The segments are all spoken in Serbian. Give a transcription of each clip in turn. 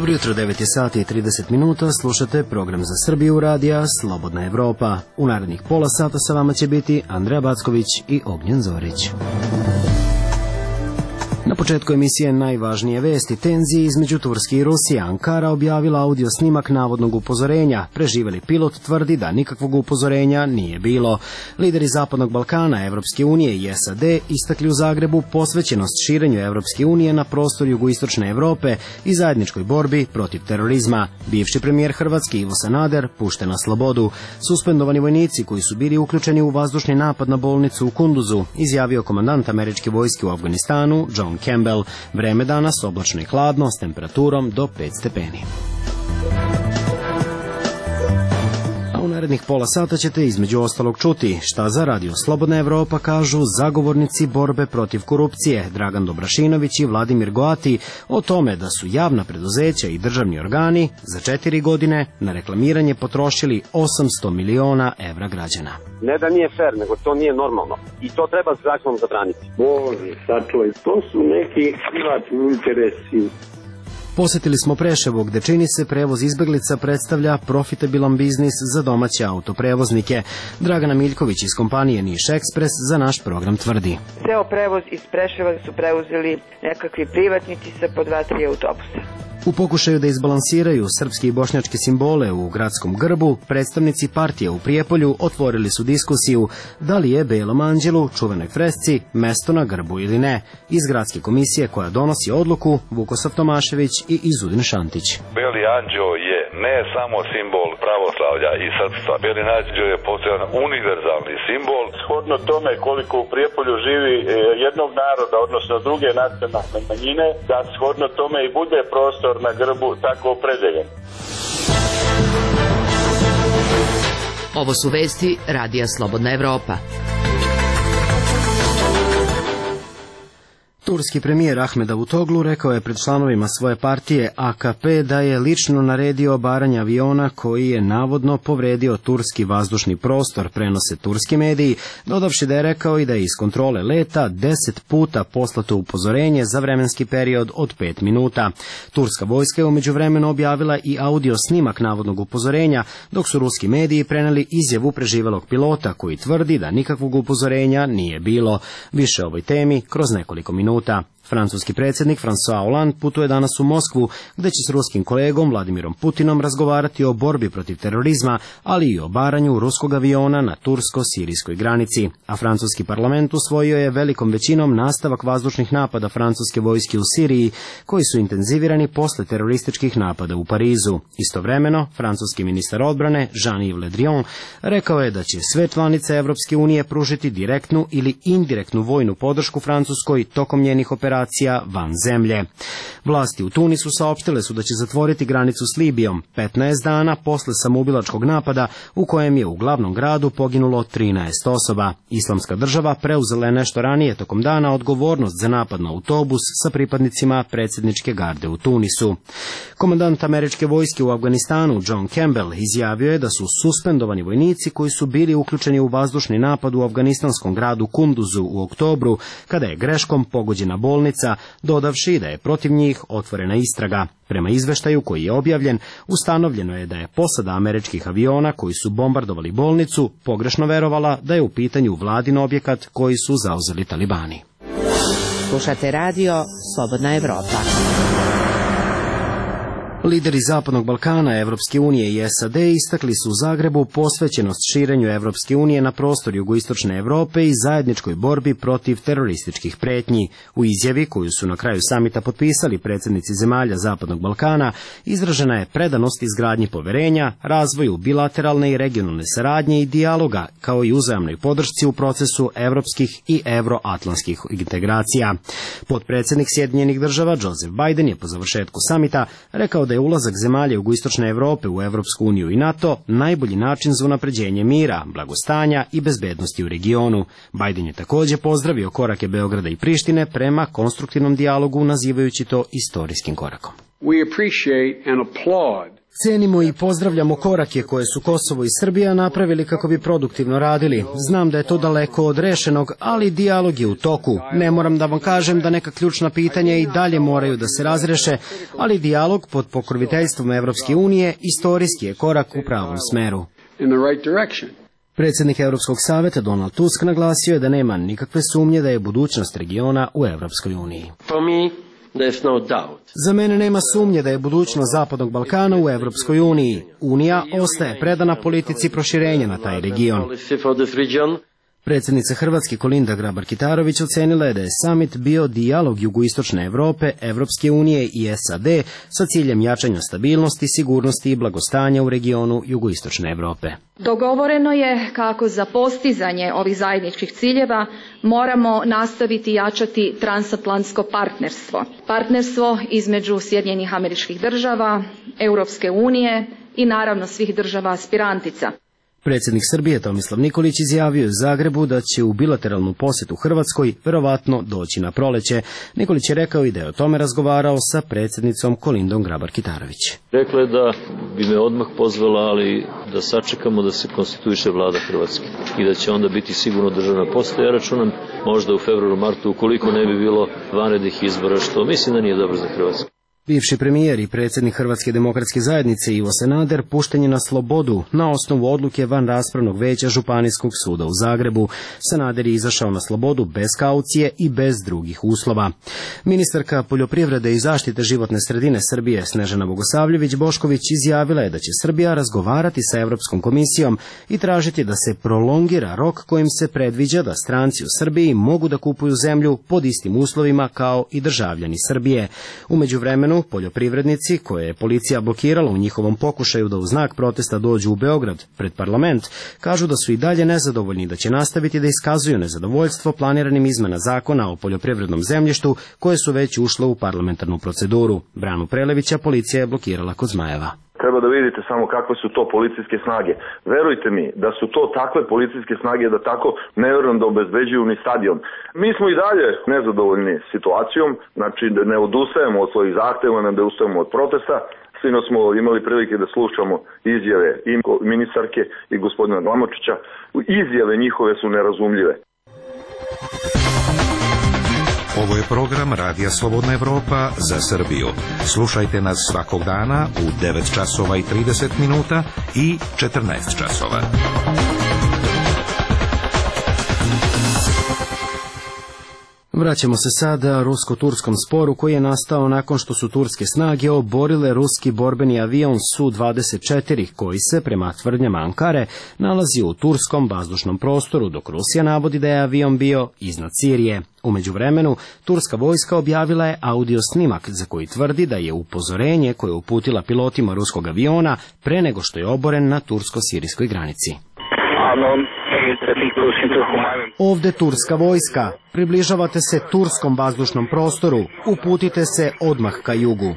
Dobro jutro, 9 je sati i 30 minuta, slušate program za Srbiju radija Slobodna Evropa. U narednih pola sata sa vama će biti Andreja Backović i Ognjen Zorić. Na početku emisije najvažnije vesti: tenzije između Turske i Rusije. Ankara objavila audio snimak navodnog upozorenja. Preživeli pilot tvrdi da nikakvog upozorenja nije bilo. Lideri Zapadnog Balkana, Evropske unije i SAD istakli u Zagrebu posvećenost širenju Evropske unije na prostor jugoistočne Evrope i zajedničkoj borbi protiv terorizma. Bivši premijer Hrvatske Ivo Sanader pušten na slobodu. Suspendovani vojnici koji su bili uključeni u vazdušni napad na bolnicu u Kunduzu, izjavio komandant američke vojske u Afganistanu John Campbell. Vreme danas oblačno i hladno s temperaturom do 5 stepeni. A u narednih pola sata ćete između ostalog čuti šta za Radio Slobodna Evropa kažu zagovornici borbe protiv korupcije Dragan Dobrašinović i Vladimir Goati o tome da su javna preduzeća i državni organi za 4 godine na reklamiranje potrošili 800 miliona evra građana. Ne da nije fair, nego to nije normalno. I to treba zakonom zabraniti. Bože, sačuvaj, to su neki privatni interesi. Posjetili smo Preševo, gde čini se prevoz izbeglica predstavlja profitabilan biznis za domaće autoprevoznike. Dragana Miljković iz kompanije Niš Ekspres za naš program tvrdi: ceo prevoz iz Preševa su preuzeli nekakvi privatnici sa po 2-3 autobusa. U pokušaju da izbalansiraju srpske i bošnjačke simbole u gradskom grbu, predstavnici partije u Prijepolju otvorili su diskusiju da li je Belom anđelu, čuvenoj fresci, mesto na grbu ili ne. Iz gradske komisije koja donosi odluku Vukosav Tomašević i Izudin Šantić. Beli anđeo je ne samo simbol pravoslavlja i srpstva. Beli anđeo je postojan univerzalni simbol. Shodno tome koliko u Prijepolju živi jednog naroda, odnosno druge nacionalne manjine, da shodno tome i bude prostor na grbu tako opredeljen. Ovo su vesti Radija Slobodna Evropa. Turski premijer Ahmed Davutoglu rekao je pred članovima svoje partije AKP da je lično naredio obaranje aviona koji je navodno povredio turski vazdušni prostor, prenose turski mediji, dodavši da je rekao i da je iz kontrole leta 10 puta poslato upozorenje za vremenski period od 5 minuta. Turska vojska je u međuvremenu objavila i audio snimak navodnog upozorenja, dok su ruski mediji preneli izjavu preživelog pilota koji tvrdi da nikakvog upozorenja nije bilo. Više o ovoj temi kroz nekoliko minuta. Francuski predsjednik François Hollande putuje danas u Moskvu, gde će s ruskim kolegom Vladimirom Putinom razgovarati o borbi protiv terorizma, ali i o obaranju ruskog aviona na tursko-sirijskoj granici. A francuski parlament usvojio je velikom većinom nastavak vazdušnih napada francuske vojske u Siriji, koji su intenzivirani posle terorističkih napada u Parizu. Istovremeno, francuski ministar odbrane Jean-Yves Le Drian rekao je da će sve članice Evropske unije pružiti direktnu ili indirektnu vojnu podršku Francuskoj tokom njenih operacija van zemlje. Vlasti u Tunisu saopštile su da će zatvoriti granicu s Libijom 15 dana posle samoubilačkog napada u kojem je u glavnom gradu poginulo 13 osoba. Islamska država preuzela je nešto ranije tokom dana odgovornost za napad na autobus sa pripadnicima predsjedničke garde u Tunisu. Komandant američke vojske u Afganistanu John Campbell izjavio je da su suspendovani vojnici koji su bili uključeni u vazdušni napad u afganistanskom gradu Kunduzu u oktobru, kada je greškom pogođena bolnica, dodavši da je protiv njih otvorena istraga. Prema izveštaju koji je objavljen, ustanovljeno je da je posada američkih aviona koji su bombardovali bolnicu pogrešno verovala da je u pitanju vladin objekat koji su zauzeli talibani. Slušate radio Slobodna Evropa. Lideri Zapadnog Balkana, Evropske unije i SAD istakli su u Zagrebu posvećenost širenju Evropske unije na prostor jugoistočne Evrope i zajedničkoj borbi protiv terorističkih pretnji. U izjavi koju su na kraju samita potpisali predsjednici zemalja Zapadnog Balkana, izražena je predanost izgradnji poverenja, razvoju bilateralne i regionalne saradnje i dijaloga, kao i uzajamnoj podršci u procesu evropskih i evroatlantskih integracija. Potpredsjednik Sjedinjenih država Joseph Biden je po završetku samita rekao da je ulazak zemalja jugoistočne Evrope u Evropsku uniju i NATO najbolji način za unapređenje mira, blagostanja i bezbednosti u regionu. Biden je također pozdravio korake Beograda i Prištine prema konstruktivnom dijalogu, nazivajući to istorijskim korakom. We appreciate and applaud Cenimo i pozdravljamo korake koje su Kosovo i Srbija napravili kako bi produktivno radili. Znam da je to daleko od rešenog, ali dijalog je u toku. Ne moram da vam kažem da neka ključna pitanja i dalje moraju da se razreše, ali dijalog pod pokroviteljstvom Evropske unije istorijski je korak u pravom smeru. Predsjednik Europskog saveta Donald Tusk naglasio je da nema nikakve sumnje da je budućnost regiona u Evropskoj uniji. Za mene nema sumnje da je budućnost Zapadnog Balkana u Evropskoj uniji. Unija ostaje predana politici proširenja na taj region. Predsjednica Hrvatske Kolinda Grabar-Kitarović ocenila je da je samit bio dijalog jugoistočne Evrope, Evropske unije i SAD sa ciljem jačanja stabilnosti, sigurnosti i blagostanja u regionu jugoistočne Evrope. Dogovoreno je kako za postizanje ovih zajedničkih ciljeva moramo nastaviti jačati transatlantsko partnerstvo. Partnerstvo između Sjedinjenih Američkih Država, Europske unije i naravno svih država aspirantica. Predsjednik Srbije Tomislav Nikolić izjavio u Zagrebu da će u bilateralnu posjetu Hrvatskoj verovatno doći na proleće. Nikolić je rekao i da je o tome razgovarao sa predsjednicom Kolindom Grabar-Kitarović. Rekla je da bi me odmah pozvala, ali da sačekamo da se konstituiše vlada Hrvatske i da će onda biti sigurno državna poseta. Ja računam možda u februaru, martu, ukoliko ne bi bilo vanrednih izbora, što mislim da nije dobro za Hrvatsku. Bivši premijer i predsjednik Hrvatske demokratske zajednice Ivo Sanader pušten je na slobodu na osnovu odluke van raspravnog veća Županijskog suda u Zagrebu. Sanader je izašao na slobodu bez kaucije i bez drugih uslova. Ministarka poljoprivrede i zaštite životne sredine Srbije Snežana Bogosavljević-Bošković izjavila je da će Srbija razgovarati sa Europskom komisijom i tražiti da se prolongira rok kojim se predviđa da stranci u Srbiji mogu da kupuju zemlju pod istim uslovima kao i državljani Srbije. U međuvremenu poljoprivrednici, koje je policija blokirala u njihovom pokušaju da u znak protesta dođu u Beograd pred parlament, kažu da su i dalje nezadovoljni, da će nastaviti da iskazuju nezadovoljstvo planiranim izmena zakona o poljoprivrednom zemljištu koje su već ušle u parlamentarnu proceduru. Branu Prelevića policija je blokirala kod Zmajeva. Treba da vidite samo kakve su to policijske snage. Verujte mi da su to takve policijske snage da tako ne vjerujem da obezbeđuju ni stadion. Mi smo i dalje nezadovoljni situacijom, znači da ne odustajemo od svojih zahteva, ne odustajemo od protesta. Sino smo imali prilike da slušamo izjave i ministarke i gospodina Glamočića. Izjave njihove su nerazumljive. Ovo je program Radija Slobodna Evropa za Srbiju. Slušajte nas svakog dana u 9 časova i 30 minuta i 14 časova. Vraćamo se sada rusko-turskom sporu koji je nastao nakon što su turske snage oborile ruski borbeni avion Su-24 koji se, prema tvrdnjama Ankare, nalazi u turskom vazdušnom prostoru, dok Rusija navodi da je avion bio iznad Sirije. U međuvremenu, turska vojska objavila je audio snimak za koji tvrdi da je upozorenje koje je uputila pilotima ruskog aviona pre nego što je oboren na tursko-sirijskoj granici. Ovde turska vojska. Približavate se turskom vazdušnom prostoru. Uputite se odmah ka jugu.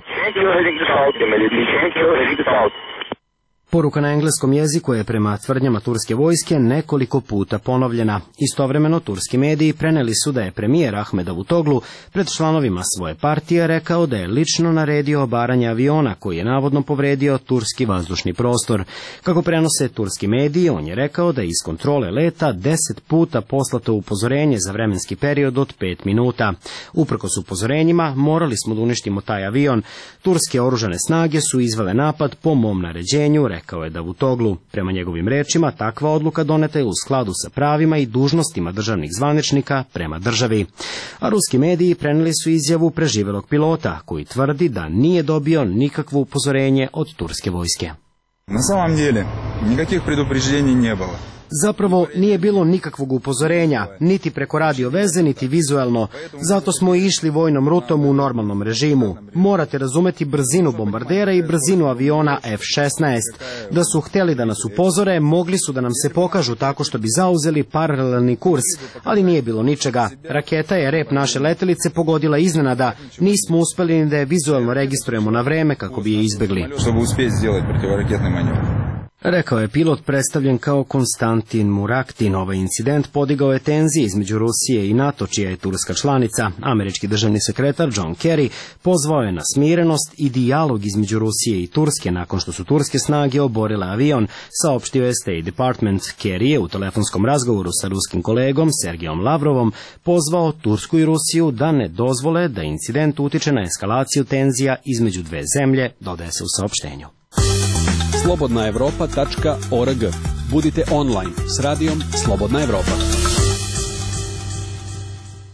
Poruka na engleskom jeziku je prema tvrdnjama turske vojske nekoliko puta ponovljena. Istovremeno turski mediji preneli su da je premijer Ahmed Davutoglu pred članovima svoje partije rekao da je lično naredio obaranje aviona koji je navodno povredio turski vazdušni prostor. Kako prenose turski mediji, on je rekao da je iz kontrole leta 10 puta poslato upozorenje za vremenski period od 5 minuta. Uprkos upozorenjima, morali smo da uništimo taj avion. Turske oružane snage su izvele napad po mom naređenju, rekao je Davutoglu. Prema njegovim rečima, takva odluka doneta je u skladu sa pravima i dužnostima državnih zvaničnika prema državi. A ruski mediji preneli su izjavu preživelog pilota, koji tvrdi da nije dobio nikakvo upozorenje od turske vojske. Na samom деле, nikakvih предупреждений не было. Zapravo nije bilo nikakvog upozorenja, niti preko radio veze, niti vizuelno. Zato smo išli vojnom rutom u normalnom režimu. Morate razumeti brzinu bombardera i brzinu aviona F-16. Da su htjeli da nas upozore, mogli su da nam se pokažu tako što bi zauzeli paralelni kurs, ali nije bilo ničega. Raketa je rep naše letelice pogodila iznenada. Nismo uspeli ni da je vizuelno registrujemo na vreme kako bi je izbegli. Rekao je pilot predstavljen kao Konstantin Muraktin. Ovaj incident podigao je tenzije između Rusije i NATO, čija je Turska članica. Američki državni sekretar John Kerry pozvao je na smirenost i dijalog između Rusije i Turske nakon što su turske snage oborile avion, saopštio je State Department. Kerry je u telefonskom razgovoru sa ruskim kolegom Sergejom Lavrovom pozvao Tursku i Rusiju da ne dozvole da incident utiče na eskalaciju tenzija između dve zemlje, dodaje se u saopštenju. slobodnaevropa.org. Budite online s radijom Slobodna Evropa.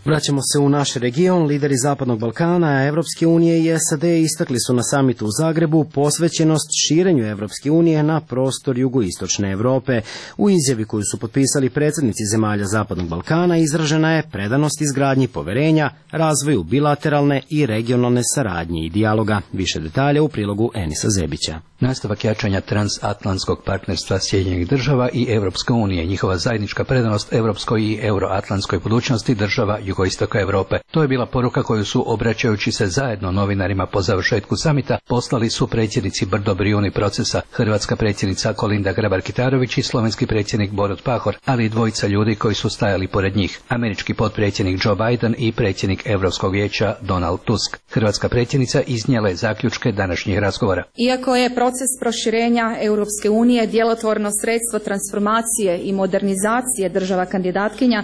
Vraćamo se u naš region. Lideri Zapadnog Balkana, Evropske unije i SAD istakli su na samitu u Zagrebu posvećenost širenju Evropske unije na prostor jugoistočne Evrope. U izjavi koju su potpisali predsjednici zemalja Zapadnog Balkana izražena je predanost izgradnji poverenja, razvoju bilateralne i regionalne saradnje i dijaloga. Više detalja u prilogu Enisa Zebića. Nastavak jačanja transatlantskog partnerstva Sjedinjenih država i Evropske unije, njihova zajednička predanost evropskoj i euroatlantskoj budućnosti država jugoistoka Europe. To je bila poruka koju su, obraćajući se zajedno novinarima po završetku samita, poslali su predsjednici Brdo Brijuni procesa, hrvatska predsjednica Kolinda Grabar-Kitarović i slovenski predsjednik Borut Pahor, ali i dvojica ljudi koji su stajali pored njih, američki potpredsjednik Joe Biden i predsjednik Europskog vijeća Donald Tusk. Hrvatska predsjednica iznijela je zaključke današnjih razgovora. Iako je proces proširenja Europske unije djelotvorno sredstvo transformacije i modernizacije država kandidatkinja,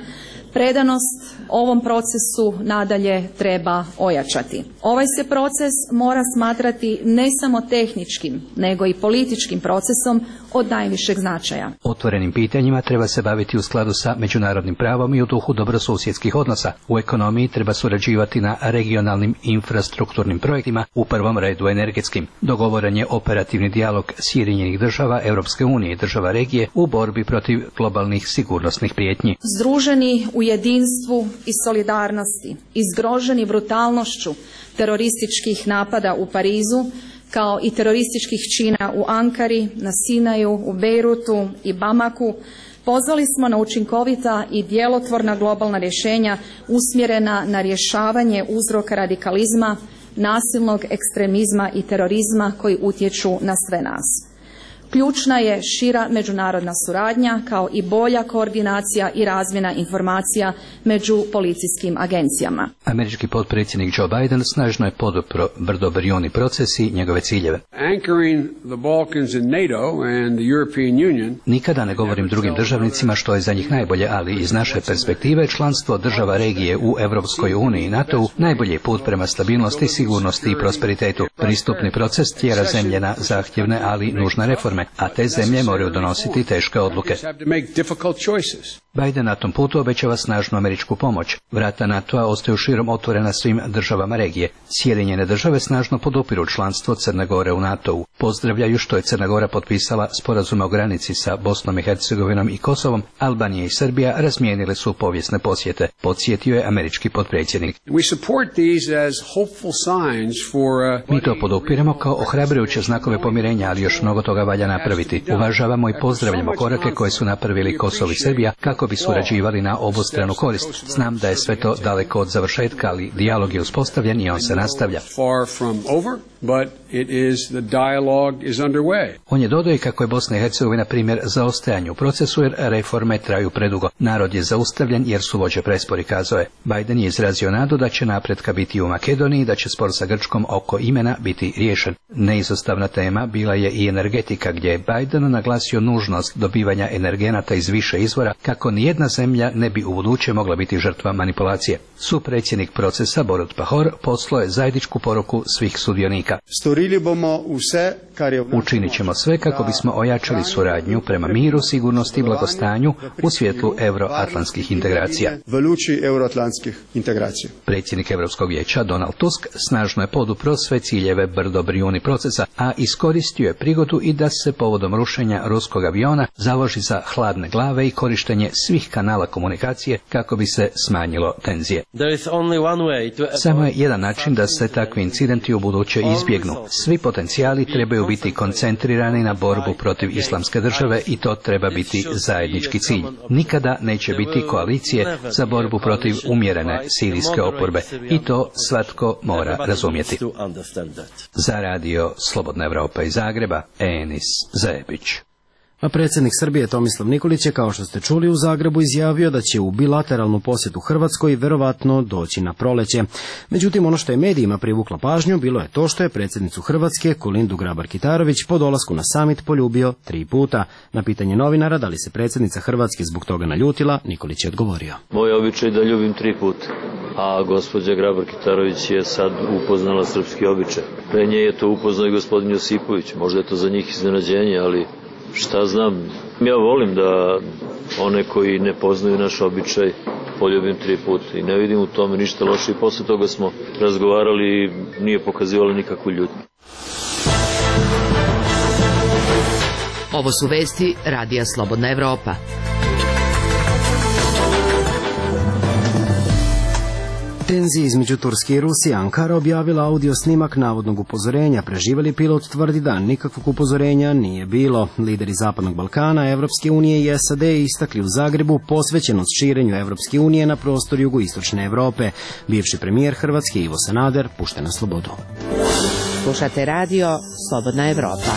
predanost ovom procesu nadalje treba ojačati. Ovaj se proces mora smatrati ne samo tehničkim, nego i političkim procesom od najvišeg značaja. Otvorenim pitanjima treba se baviti u skladu sa međunarodnim pravom i u duhu dobrosusjedskih odnosa. U ekonomiji treba surađivati na regionalnim infrastrukturnim projektima, u prvom redu energetskim. Dogovoren je operativni dijalog Sjedinjenih država, Europske unije i država regije u borbi protiv globalnih sigurnosnih prijetnji. Združeni u jedinstvu i solidarnosti, izgroženi brutalnošću terorističkih napada u Parizu, kao i terorističkih čina u Ankari, na Sinaju, u Bejrutu i Bamaku, pozvali smo na učinkovita i djelotvorna globalna rješenja usmjerena na rješavanje uzroka radikalizma, nasilnog ekstremizma i terorizma koji utječu na sve nas. Ključna je šira međunarodna suradnja kao i bolja koordinacija i razmjena informacija među policijskim agencijama. Američki potpredsjednik Joe Biden snažno je podupro Brdo Brijuni proces i njegove ciljeve. Nikada ne govorim drugim državnicima što je za njih najbolje, ali iz naše perspektive članstvo država regije u Evropskoj uniji i NATO-u najbolji je put prema stabilnosti, sigurnosti i prosperitetu. Pristupni proces tjera zemlje na zahtjevne, ali nužne reforme, a te zemlje moraju donositi teške odluke. Biden na tom putu obećava snažnu američku pomoć. Vrata NATO-a ostaju širom otvorena svim državama regije. Sjedinjene države snažno podupiru članstvo Crne Gore u NATO-u. Pozdravljaju što je Crna Gora potpisala sporazume o granici sa Bosnom i Hercegovinom i Kosovom. Albanija i Srbija razmijenile su povijesne posjete, podsjetio je američki potpredsjednik. Mi to podupiramo kao ohrabrujuće znakove pomirenja, ali još mnogo toga valja napraviti. Uvažavamo i pozdravljamo korake koje su napravili Kosovo i Srbija kako bi surađivali na obostranu korist. Znam da je sve to daleko od završetka, ali dijalog je uspostavljen i on se nastavlja. On je dodao i kako je Bosna i Hercegovina primjer zaostajanja u procesu jer reforme traju predugo. Narod je zaustavljen jer su vođe prespori, kazao je. Biden je izrazio nadu da će napretka biti u Makedoniji, da će spor sa Grčkom oko imena biti riješen. Neizostavna tema bila je i energetika, gdje je Biden naglasio nužnost dobivanja energenata iz više izvora kako nijedna zemlja ne bi ubuduće mogla biti žrtva manipulacije. Supredsjednik procesa Borut Pahor poslao je zajedničku poruku svih sudionika. Učinit ćemo sve kako bismo ojačali suradnju prema miru, sigurnosti i blagostanju u svjetlu euroatlantskih integracija. Predsjednik Europskog vijeća Donald Tusk snažno je podupro sve ciljeve Brdo Brijuni procesa, a iskoristio je prigodu i da se povodom rušenja ruskog aviona založi za hladne glave i korištenje svih kanala komunikacije kako bi se smanjilo tenzije. Samo je jedan način da se takvi incidenti u buduće izbjegnu. Svi potencijali trebaju biti koncentrirani na borbu protiv islamske države i to treba biti zajednički cilj. Nikada neće biti koalicije za borbu protiv umjerene sirijske oporbe i to svatko mora razumjeti. Za radio Slobodna Evropa iz Zagreba, Enis Zebić. A predsjednik Srbije Tomislav Nikolić je, kao što ste čuli, u Zagrebu izjavio da će u bilateralnu posjetu Hrvatskoj verovatno doći na proleće. Međutim, ono što je medijima privukla pažnju bilo je to što je predsjednicu Hrvatske, Kolindu Grabar-Kitarović, po dolasku na samit poljubio 3 puta. Na pitanje novinara da li se predsjednica Hrvatske zbog toga naljutila, Nikolić je odgovorio. Moj običaj da ljubim 3 puta, a gospođa Grabar-Kitarović je sad upoznala srpski običaj. Pre nje je to upoznao i gospodin Josipović, možda je to za njih iznenađenje, ali šta znam, ja volim da one koji ne poznaju naš običaj poljubim 3 puta i ne vidim u tome ništa loše i posle toga smo razgovarali i nije pokazivalo nikakvu ljutnju. Ovo su vesti Radija Slobodna Evropa. Tenzije između Turske i Rusije. Ankara objavila audio snimak navodnog upozorenja. Preživeli pilot tvrdi da nikakvog upozorenja nije bilo. Lideri Zapadnog Balkana, Evropske unije i SAD istakli u Zagrebu posvećenost širenju Evropske unije na prostor jugoistočne Evrope. Bivši premijer Hrvatske Ivo Sanader pušten na slobodu. Slušate radio Slobodna Evropa.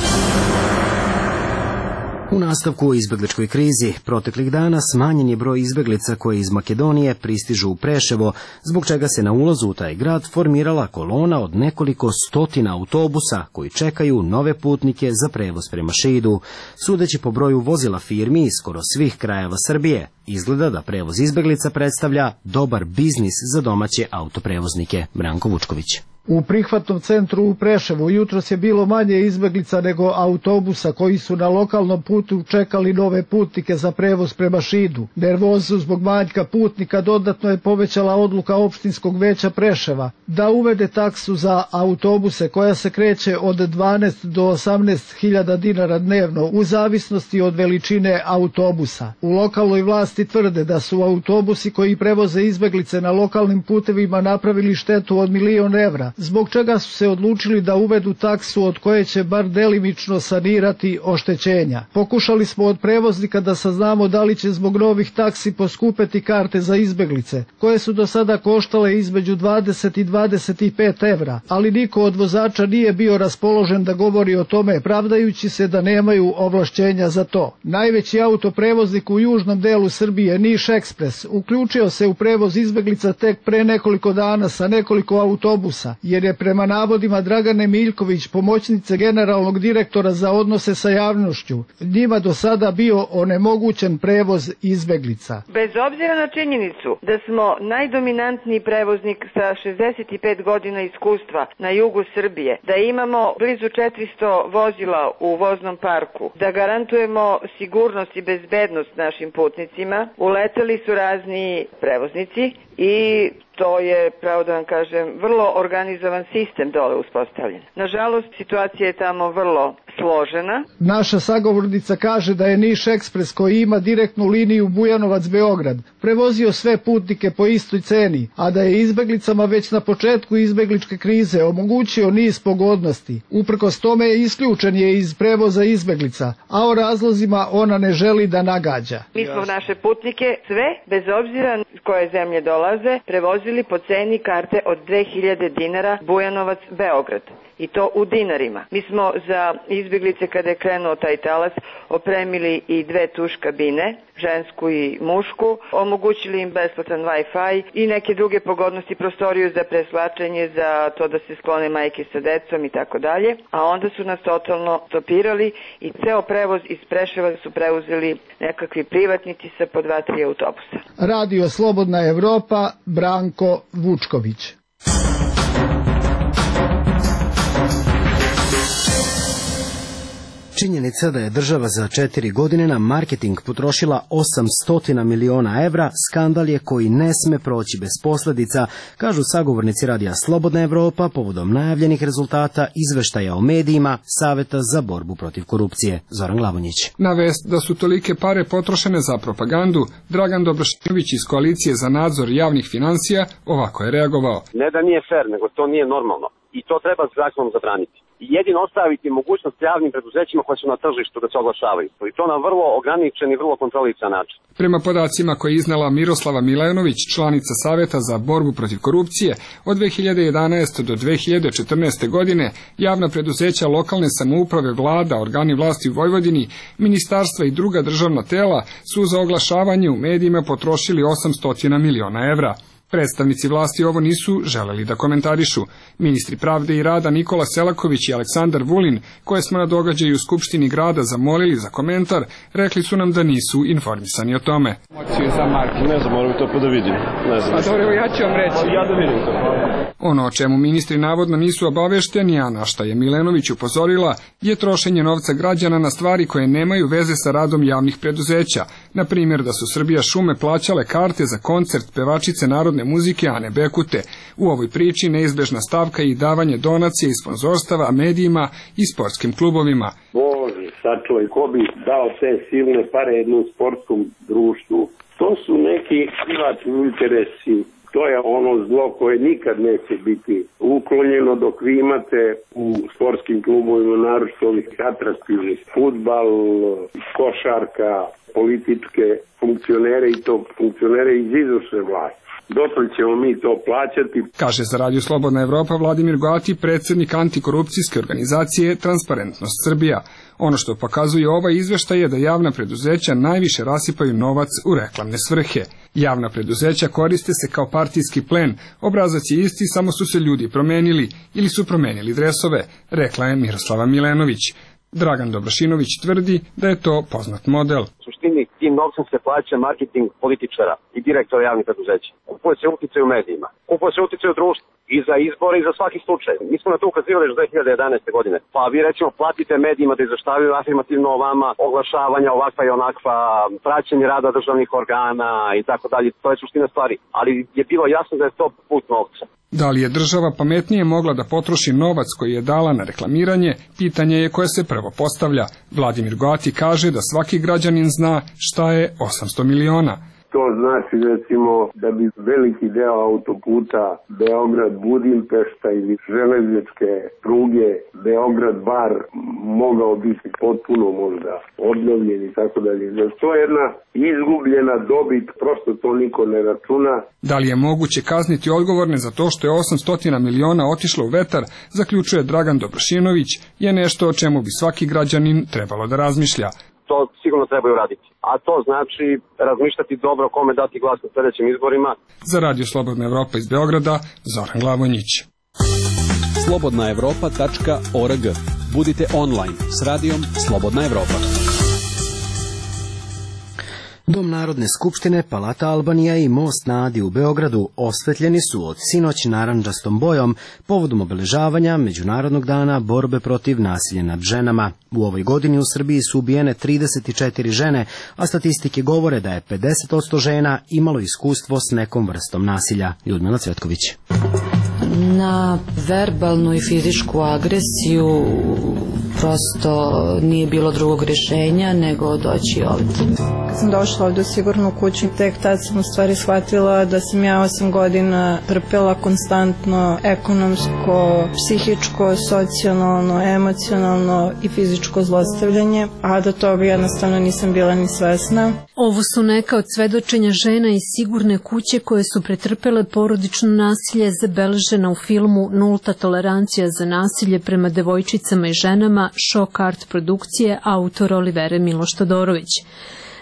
U nastavku o izbegličkoj krizi, proteklih dana smanjen je broj izbeglica koje iz Makedonije pristižu u Preševo, zbog čega se na ulazu u taj grad formirala kolona od nekoliko stotina autobusa koji čekaju nove putnike za prevoz prema Šidu. Sudeći po broju vozila firmi iz skoro svih krajeva Srbije, izgleda da prevoz izbeglica predstavlja dobar biznis za domaće autoprevoznike. Branko Vučković. U prihvatnom centru u Preševu jutros je bilo manje izbeglica nego autobusa koji su na lokalnom putu čekali nove putnike za prevoz prema Šidu. Nervozu zbog manjka putnika dodatno je povećala odluka opštinskog veća Preševa da uvede taksu za autobuse koja se kreće od 12 do 18.000 dinara dnevno u zavisnosti od veličine autobusa. U lokalnoj vlasti tvrde da su autobusi koji prevoze izbeglice na lokalnim putevima napravili štetu od 1.000.000 evra, zbog čega su se odlučili da uvedu taksu od koje će bar delimično sanirati oštećenja. Pokušali smo od prevoznika da saznamo da li će zbog novih taksi poskupeti karte za izbeglice, koje su do sada koštale između 20 i 25 evra, ali niko od vozača nije bio raspoložen da govori o tome, pravdajući se da nemaju ovlašćenja za to. Najveći autoprevoznik u južnom delu Srbije, Niš Ekspres, uključio se u prevoz izbeglica tek pre nekoliko dana sa nekoliko autobusa, jer je prema navodima Dragane Miljković, pomoćnice generalnog direktora za odnose sa javnošću, njima do sada bio onemogućen prevoz izbeglica. Bez obzira na činjenicu da smo najdominantniji prevoznik sa 65 godina iskustva na jugu Srbije, da imamo blizu 400 vozila u voznom parku, da garantujemo sigurnost i bezbednost našim putnicima, uleteli su razni prevoznici i to je, pravo da vam kažem, vrlo organizovan sistem dole uspostavljen. Nažalost, situacija je tamo vrlo složena. Naša sagovornica kaže da je Niš Ekspres, koji ima direktnu liniju Bujanovac-Beograd, prevozio sve putnike po istoj ceni, a da je izbeglicama već na početku izbegličke krize omogućio niz pogodnosti. Uprkos tome isključen je iz prevoza izbeglica, a o razlozima ona ne želi da nagađa. Mi smo naše putnike sve, bez obzira s koje zemlje dolaze, prevozili po ceni karte od 2000 dinara Bujanovac-Beograd. I to u dinarima. Mi smo za izbjeglice, kada je krenuo taj talas, opremili i 2 tuš kabine, žensku i mušku, omogućili im besplatan Wi-Fi i neke druge pogodnosti, prostoriju za preslačenje, za to da se sklone majke sa decom i tako dalje. A onda su nas totalno stopirali i ceo prevoz iz Preševa su preuzeli nekakvi privatnici sa po 2-3 autobusa. Radio Slobodna Evropa, Branko Vučković. Činjenica da je država za 4 godine na marketing potrošila 800 miliona evra, skandal je koji ne sme proći bez posljedica, kažu sagovornici Radija Slobodna Evropa povodom najavljenih rezultata izveštaja o medijima Saveta za borbu protiv korupcije. Zoran Glavonjić. Na vest da su tolike pare potrošene za propagandu, Dragan Dobrošinović iz Koalicije za nadzor javnih finansija ovako je reagovao. Ne da nije fair, nego to nije normalno. I to treba zakonom zabraniti. i jedino ostaviti mogućnost javnim preduzećima koje su na tržištu da se oglašavaju. I to na vrlo ograničen i vrlo kontrolisan način. Prema podacima koje je iznala Miroslava Milenović, članica Saveta za borbu protiv korupcije, od 2011. do 2014. godine javna preduzeća lokalne samouprave, vlada, organi vlasti u Vojvodini, ministarstva i druga državna tela su za oglašavanje u medijima potrošili 800 miliona evra. Predstavnici vlasti ovo nisu želeli da komentarišu. Ministri pravde i rada Nikola Selaković i Aleksandar Vulin, koje smo na događaju u Skupštini grada zamolili za komentar, rekli su nam da nisu informisani o tome. Ne znam, moram to pa da vidim. Ne znam. A dobro, ja ću vam reći. Ja da vidim to. Ono o čemu ministri navodno nisu obavešteni, a na šta je Milenović upozorila, je trošenje novca građana na stvari koje nemaju veze sa radom javnih preduzeća. Na primjer da su Srbija šume plaćale karte za koncert pevačice narodne muzike Ane Bekute. U ovoj priči neizbežna stavka je i davanje donacije i sponzorstava medijima i sportskim klubovima. Bože, sačuvaj, ko bi dao te silne pare jednom sportskom društvu? To su neki privatni interesi. To je ono zlo koje nikad neće biti uklonjeno dok vi imate u sportskim klubovima, naročito ovih atraktivnih, fudbal, košarka, političke funkcionere i to funkcionere iz izvršne vlasti. Dotle ćemo mi to plaćati. Kaže za Radio Slobodna Evropa Vladimir Goati, predsjednik antikorupcijske organizacije Transparentnost Srbija. Ono što pokazuje ovaj izveštaj je da javna preduzeća najviše rasipaju novac u reklamne svrhe. Javna preduzeća koriste se kao partijski plen, obrazac je isti, samo su se ljudi promenili ili su promenili dresove, rekla je Miroslava Milenović. Dragan Dobrošinović tvrdi da je to poznat model. U suštini tim novcem se plaća marketing političara i direktora javnih preduzeća. Kupuje se uticaj u medijima, kupuje se uticaj u društvu i za izbore i za svaki slučaj. Mi smo na to ukazivali još 2011. godine. Pa vi recimo platite medijima da izveštavaju afirmativno o vama, oglašavanja ovakva i onakva, praćenje rada državnih organa i tako dalje. To je suština stvari. Ali je bilo jasno da je to put novca. Da li je država pametnije mogla da potroši novac koji je dala na reklamiranje, pitanje je koje se prvo postavlja. Vladimir Goati kaže da svaki građanin zna šta je 800 miliona. To znači recimo da bi veliki deo autoputa Beograd-Budimpešta ili železničke pruge Beograd-Bar mogao biti potpuno možda obnovljen i tako dalje. To je jedna izgubljena dobit, prosto to niko ne računa. Da li je moguće kazniti odgovorne za to što je 800 miliona otišlo u vetar, zaključuje Dragan Dobrošinović, je nešto o čemu bi svaki građanin trebalo da razmišlja. To sigurno trebaju raditi. A to znači razmišljati dobro kome dati glas na sljedećim izborima. Za Radio Slobodna Evropa iz Beograda, Zoran Glavonjić. slobodnaevropa.org. Budite online s radijom Slobodna Evropa. Dom Narodne skupštine, Palata Albanija i Most na Adi u Beogradu osvetljeni su od sinoć narandžastom bojom povodom obeležavanja Međunarodnog dana borbe protiv nasilja nad ženama. U ovoj godini u Srbiji su ubijene 34 žene, a statistike govore da je 50% žena imalo iskustvo s nekom vrstom nasilja. Ljudmila Cvetković. Na verbalnu i fizičku agresiju prosto nije bilo drugog rješenja nego doći ovdje. Kad sam došla ovdje u sigurnu kuću, tek tad sam u stvari shvatila da sam ja 8 godina trpela konstantno ekonomsko, psihičko, socijalno, emocionalno i fizičko zlostavljanje, a da toga jednostavno nisam bila ni svesna. Ovo su neka od svedočenja žena iz sigurne kuće koje su pretrpele porodično nasilje, zabeležena u filmu Nulta tolerancija za nasilje prema devojčicama i ženama, Šok Art produkcije, autor Olivere Miloš Todorović.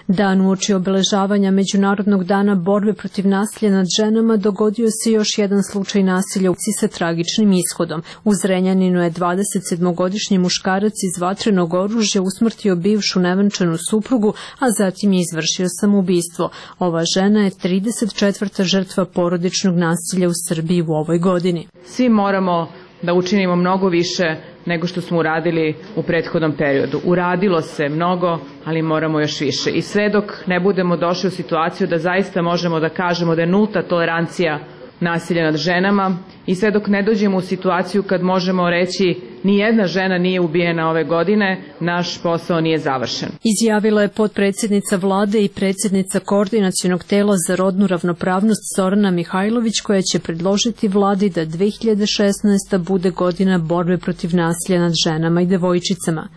Dan uoči obeležavanja Međunarodnog dana borbe protiv nasilja nad ženama dogodio se još jedan slučaj nasilja u kući sa tragičnim ishodom. U Zrenjaninu je 27-godišnji muškarac iz vatrenog oružja usmrtio bivšu nevenčanu suprugu, a zatim je izvršio samoubistvo. Ova žena je 34. žrtva porodičnog nasilja u Srbiji u ovoj godini. Svi moramo da učinimo mnogo više nego što smo uradili u prethodnom periodu. Uradilo se mnogo, ali moramo još više. I sve dok ne budemo došli u situaciju da zaista možemo da kažemo da je nulta tolerancija nasilja nad ženama i sve dok ne dođemo u situaciju kad možemo reći nijedna žena nije ubijena ove godine, naš posao nije završen. Izjavila je potpredsjednica vlade i predsjednica Koordinacionog tela za rodnu ravnopravnost Zorana Mihajlović, koja će predložiti vladi da 2016. bude godina borbe protiv nasilja nad ženama i devojčicama.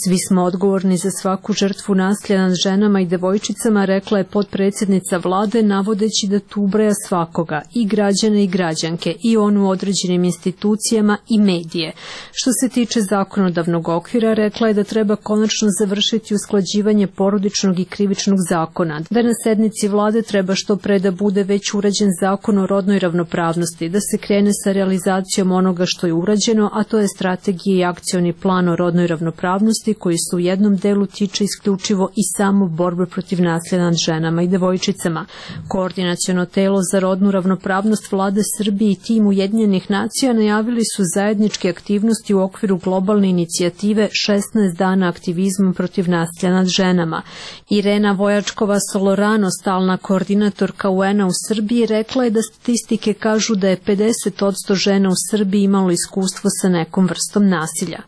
Svi smo odgovorni za svaku žrtvu nasilja nad ženama i devojčicama, rekla je potpredsjednica vlade, navodeći da tu ubraja svakoga, i građane i građanke, i onu u određenim institucijama i medije. Što se tiče zakonodavnog okvira, rekla je da treba konačno završiti usklađivanje porodičnog i krivičnog zakona, da na sednici vlade treba što pre da bude već urađen zakon o rodnoj ravnopravnosti, da se krene sa realizacijom onoga što je urađeno, a to je strategija i akcioni plan o rodnoj ravnopravnosti, koji se u jednom delu tiče isključivo i samo borbe protiv nasilja nad ženama i devojčicama. Koordinaciono telo za rodnu ravnopravnost vlade Srbije i tim Ujedinjenih nacija najavili su zajedničke aktivnosti u okviru globalne inicijative 16 dana aktivizma protiv nasilja nad ženama. Irena Vojačkova-Solorano, stalna koordinatorka UN-a u Srbiji, rekla je da statistike kažu da je 50% žena u Srbiji imalo iskustvo sa nekom vrstom nasilja.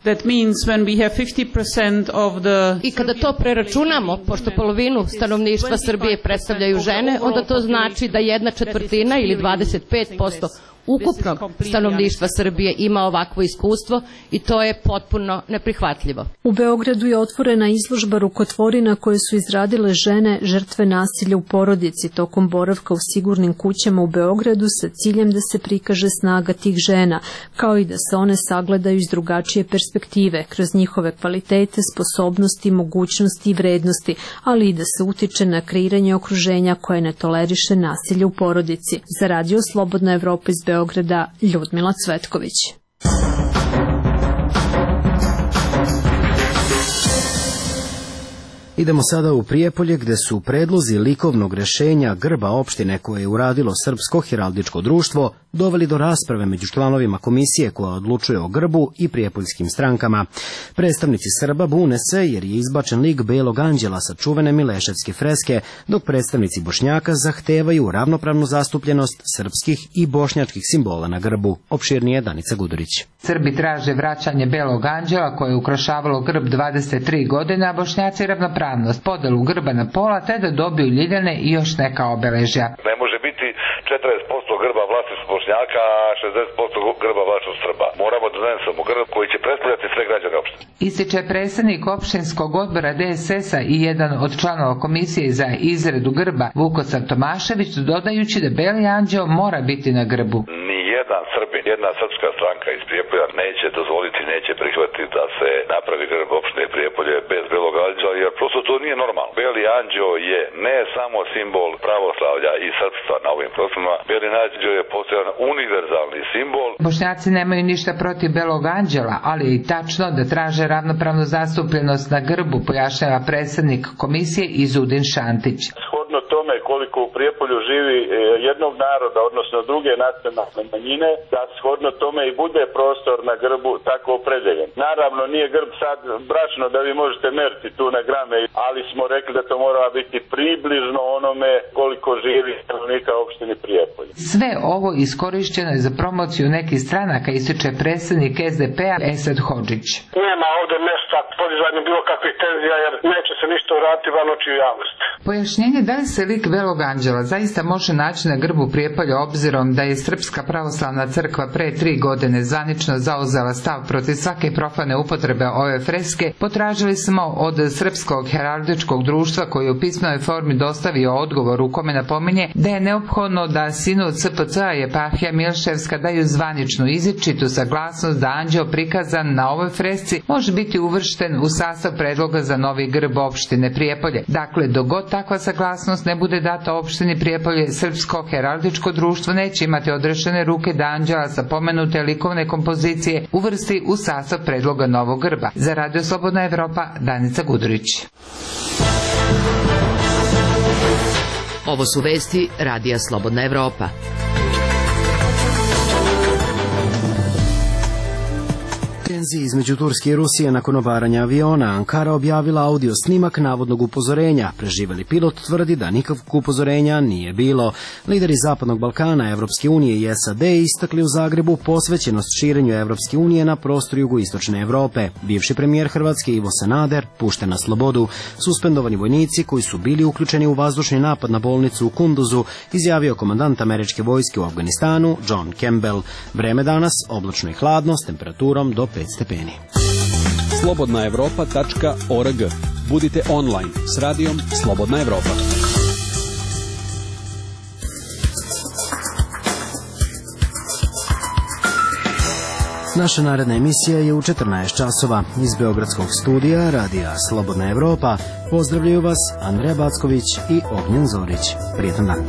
I kada to preračunamo, pošto polovinu stanovništva Srbije predstavljaju žene, onda to znači da 1/4 ili 25% ukupnog stanovništva Srbije ima ovakvo iskustvo i to je potpuno neprihvatljivo. U Beogradu je otvorena izložba rukotvorina koje su izradile žene žrtve nasilja u porodici tokom boravka u sigurnim kućama u Beogradu sa ciljem da se prikaže snaga tih žena, kao i da se one sagledaju iz drugačije perspektive, kroz njihove kvalitete, sposobnosti, mogućnosti i vrednosti, ali i da se utiče na kreiranje okruženja koje ne toleriše nasilje u porodici. Za Radio Slobodna Evropa iz Beograda, Ljudmila Cvetković. Idemo sada u Prijepolje, gde su predlozi likovnog rešenja grba opštine koje je uradilo Srpsko heraldičko društvo doveli do rasprave među članovima komisije koja odlučuje o grbu i prijepoljskim strankama. Predstavnici Srba bune se jer je izbačen lik Belog anđela sa čuvene Mileševske freske, dok predstavnici Bošnjaka zahtevaju ravnopravnu zastupljenost srpskih i bošnjačkih simbola na grbu. Opširnije Danica Gudurić. Srbi traže vraćanje Belog anđela koje je ukrašavalo grb 23 godine, a Bošnjaci ravnopravnost, podelu grba na pola te da dobiju ljiljane i još neka obeležja. Ne može biti 40% grba vlasništvo Bošnjaka, a 60% grba vlasništvo Srba. Moramo da donesemo grb koji će predstavljati sve građane opštine. Ističe predsednik opštinskog odbora DSS-a i jedan od članova komisije za izradu grba Vukosav Tomašević, dodajući da Beli anđeo mora biti na grbu. Jedan Srbin, jedna srpska stranka iz Prijepolja neće dozvoliti, neće prihvatiti da se napravi grb opštine Prijepolje bez Belog anđela, jer prosto to nije normalno. Beli anđeo je ne samo simbol pravoslavlja i srpstva na ovim prostorima, Beli anđeo je postojan univerzalni simbol. Bošnjaci nemaju ništa protiv Belog anđela, ali je i tačno da traže ravnopravnu zastupljenost na grbu, pojašnjava predsednik komisije Izudin Šantić. Shodno tome koliko u Prijepolju živi jednog naroda, odnosno druge nacionalne manjine, da shodno tome i bude prostor na grbu tako opredeljen. Naravno, nije grb sad bračno da vi možete meriti tu na grame, ali smo rekli da to mora biti približno onome koliko živi stanovnika opštine Prijepolje. Sve ovo iskorišćeno je za promociju nekih stranaka, ističe predsednik SDP-a Esad Hodžić. Nema ovde mesta podizanju bilo kakvih tenzija, jer neće se ništa uraditi van očiju javnosti. Pojašnjenje da li se lik Belog anđela zaista može naći na grbu Prijepolja, obzirom da je Srpska pravoslavna crkva pre 3 godine zvanično zauzela stav protiv svake profane upotrebe ove freske, potražili smo od Srpskog heraldičkog društva koji u pismenoj formi dostavio odgovor u kome napominje da je neophodno da sinod SPC-a i eparhija Milševska daju zvaničnu izričitu saglasnost da anđeo prikazan na ovoj fresci može biti uvršten u sastav predloga za novi grb opštine Prijepolje. Dakle, dok god takva saglasnost ne bude data opštini Prijepolje, Srpsko heraldičko društvo neće imati odrešene ruke da anđela sa pomenute likovne kompozicije uvrsti u sastav predloga novog grba. Za Radio Slobodna Evropa, Danica Gudurić. Ovo su vesti Radija Slobodna Evropa. Tenzije između Turske i Rusije nakon obaranja aviona. Ankara objavila audio snimak navodnog upozorenja. Preživeli pilot tvrdi da nikakvog upozorenja nije bilo. Lideri Zapadnog Balkana, Evropske unije i SAD istakli u Zagrebu posvećenost širenju Evropske unije na prostoru jugoistočne Evrope. Bivši premijer Hrvatske Ivo Sanader pušten na slobodu. Suspendovani vojnici koji su bili uključeni u vazdušni napad na bolnicu u Kunduzu, izjavio komandant američke vojske u Afganistanu John Campbell. Vreme danas oblačno i hladno s temperaturom do 5 stepeni. slobodnaevropa.org. Budite online s radijom Slobodna Evropa. Naša naredna emisija je u 14 časova. Iz Beogradskog studija radija Slobodna Evropa pozdravljaju vas Andreja Backović i Ognjen Zorić. Prijetan dan.